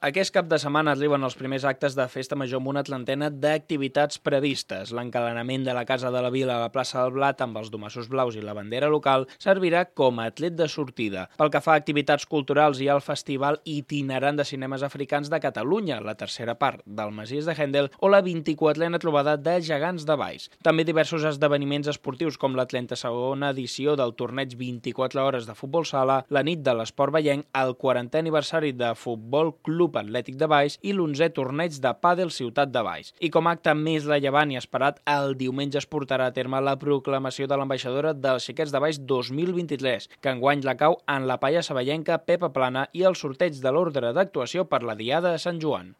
Aquest cap de setmana arriben els primers actes de Festa Major amb una trentena d'activitats previstes. L'encalenament de la Casa de la Vila a la plaça del Blat amb els domassos blaus i la bandera local servirà com a tret de sortida. Pel que fa a activitats culturals, hi ha el Festival Itinerant de Cinemes Africans de Catalunya, la tercera part del Masies de Hendel o la 24a trobada de Gegants de Valls. També diversos esdeveniments esportius com la 32a edició del torneig 24 hores de futbol sala, la nit de l'esport vallenc, el 40è aniversari de Futbol Club Atlètic de Valls i l'11è torneig de pàdel Ciutat de Valls. I com a acte més rellevant i esperat, el diumenge es portarà a terme la proclamació de l'ambaixadora dels Xiquets de Valls 2023, que enguany recau en la palla saballenca Pepa Plana i el sorteig de l'ordre d'actuació per la Diada de Sant Joan.